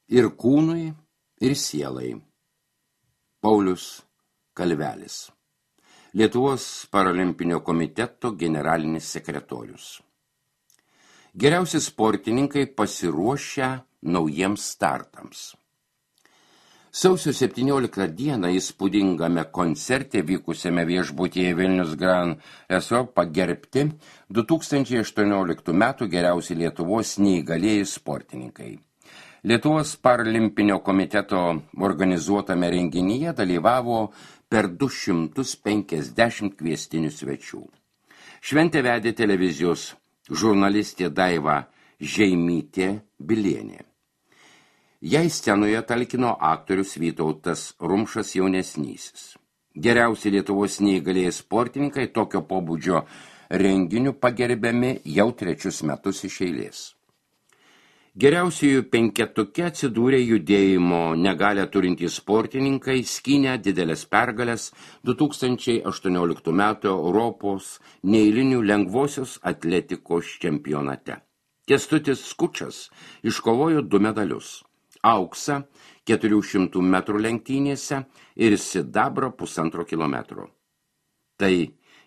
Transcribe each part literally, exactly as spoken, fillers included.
ir kūnui, ir sielai. Paulius Kalvelis, Lietuvos paralimpinio komiteto generalinis sekretorius. Geriausi sportininkai pasiruošę naujiems startams. Sausio septynioliktą dieną įspūdingame koncerte vykusiame viešbutyje Vilnius Grand Resort pagerbti du tūkstančiai aštuonioliktų metų geriausi Lietuvos neįgalieji sportininkai. Lietuvos paralimpinio komiteto organizuotame renginyje dalyvavo per du šimtus penkiasdešimt kviestinių svečių. Šventę vedė televizijos žurnalistė Daiva Žeimytė Bilienė. Jai scenoje talkino aktorius Vytautas Rumšas jaunesnysis. Geriausi Lietuvos neįgalieji sportininkai tokio pobūdžio renginių pagerbiami jau trečius metus iš eilės. Geriausiųjų penketuke atsidūrė judėjimo negalią turintys sportininkai, skynę didelės pergalės du tūkstančiai aštuonioliktų metų Europos neeilinių lengvosios atletikos čempionate. Kęstutis Skučas iškovojo du medalius. Auksą keturių šimtų metrų lenktynėse ir sidabrą pusantro kilometro. Tai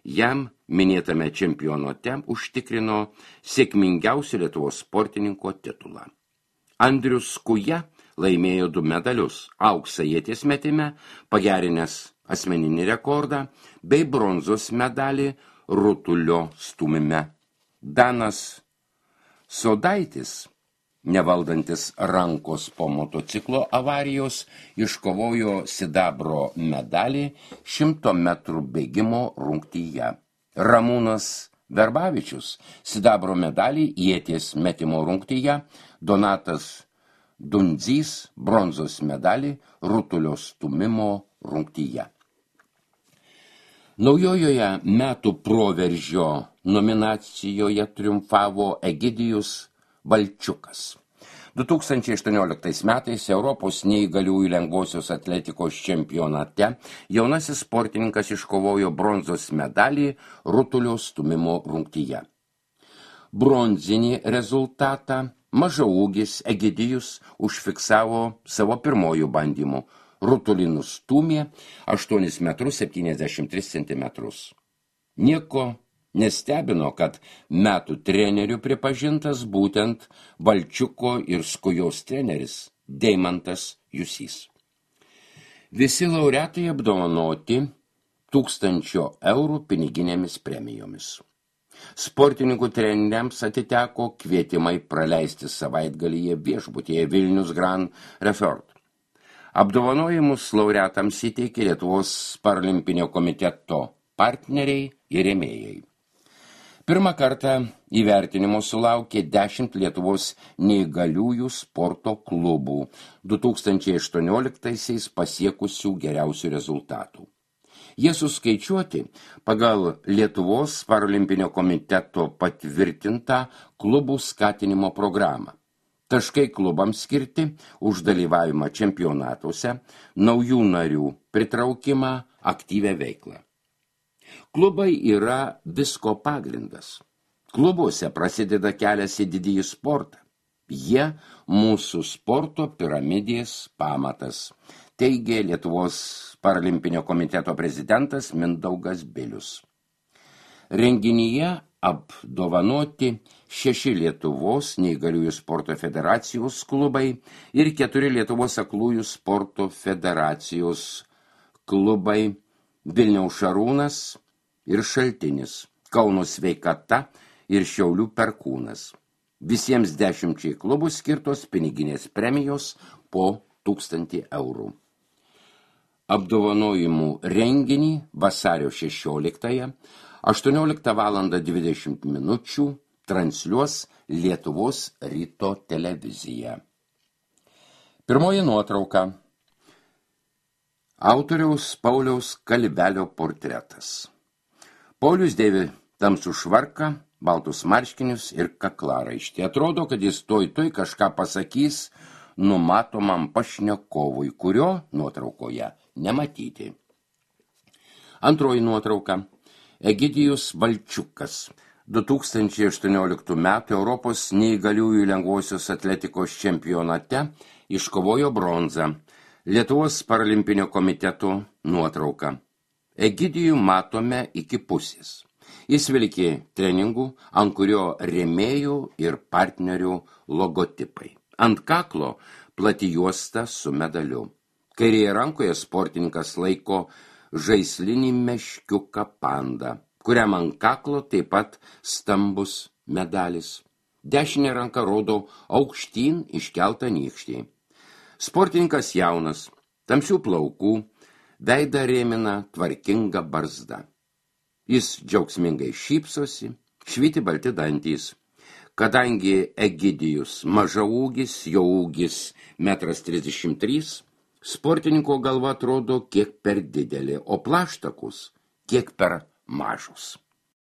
jam minėtame čempionate užtikrino sėkmingiausių Lietuvos sportininko titulą. Andrius Kuja laimėjo du medalius, auksą ieties metime, pagerinęs asmeninį rekordą, bei bronzos medalį rutulio stūmime. Danas Sodaitis, nevaldantis rankos po motociklo avarijos, iškovojo sidabro medalį šimto metrų bėgimo rungtyje. Ramūnas Verbavičius sidabro medalį ieties metimo rungtyje, Donatas Dundzys bronzos medalį rutulio stūmimo rungtyje. Naujojoje metų proveržio nominacijoje triumfavo Egidijus Balčiukas. du tūkstančiai aštuonioliktais metais Europos neįgaliųjų lengvosios atletikos čempionate jaunasis sportininkas iškovojo bronzos medalį rutulio stūmimo rungtyje. Bronzinį rezultatą mažaūgis Egidijus užfiksavo savo pirmojų bandymų. Rutulį nustūmė aštuonis metrus septyniasdešimt tris centimetrus. Nieko nestebino, kad metų trenerių pripažintas būtent Balčiuko ir Skujos treneris Deimantas Jusys. Visi laureatai apdovanoti tūkstančio eurų piniginėmis premijomis. Sportininkų treneriams atiteko kvietimai praleisti savaitgalyje viešbutyje Vilnius Grand Resort. Apdovanojimus laureatams įteikė Lietuvos paralimpinio komiteto partneriai ir rėmėjai. Pirmą kartą įvertinimo sulaukė dešimt Lietuvos neįgaliųjų sporto klubų du tūkstančiai aštuonioliktaisiais pasiekusių geriausių rezultatų. Jie suskaičiuoti pagal Lietuvos paralimpinio komiteto patvirtintą klubų skatinimo programą. Taškai klubams skirti už dalyvavimą čempionatuose, naujų narių pritraukimą, aktyvią veiklą. Klubai yra visko pagrindas. Klubuose prasideda kelias į didįjį sportą. Jie mūsų sporto piramidės pamatas, teigė Lietuvos paralimpinio komiteto prezidentas Mindaugas Bilius. Renginyje apdovanoti šeši Lietuvos neįgaliųjų sporto federacijos klubai ir keturi Lietuvos aklųjų sporto federacijos klubai Vilniaus Šarūnas ir Šaltinis, Kauno Sveikata ir Šiaulių Perkūnas. Visiems dešimčiai klubų skirtos piniginės premijos po tūkstantį eurų. Apdovanojimų renginį vasario šešioliktąją aštuonioliktą valandą dvidešimt minučių transliuos Lietuvos ryto televizija. Pirmoji nuotrauka. Autoriaus Pauliaus Kalvelio portretas. Paulius dėvi tamsų švarką, baltus marškinius ir kaklaraištį. Atrodo, kad jis toj toj kažką pasakys numatomam pašnekovui, kurio nuotraukoje nematyti. Antroji nuotrauka. Egidijus Balčiukas. du tūkstančiai aštuonioliktų metų Europos neįgaliųjų lengvosios atletikos čempionate iškovojo bronzą. Lietuvos paralimpinio komiteto nuotrauka. Egidijų matome iki pusės. Jis vilkė treningų, ant kurio rėmėjų ir partnerių logotipai. Ant kaklo plati juosta su medaliu. Kairėje rankoje sportininkas laiko žaislinį meškiuką pandą, kuriam ant kaklo taip pat stambus medalis. Dešinė ranka rodo aukštyn iškeltą nykštį. Sportininkas jaunas, tamsių plaukų, veidą rėmina tvarkinga barzda. Jis džiaugsmingai šypsosi, švyti balti dantys. Kadangi Egidijus mažaūgis, jo ūgis metras trisdešimt trys, sportininko galva atrodo kiek per didelė, o plaštakus kiek per mažus.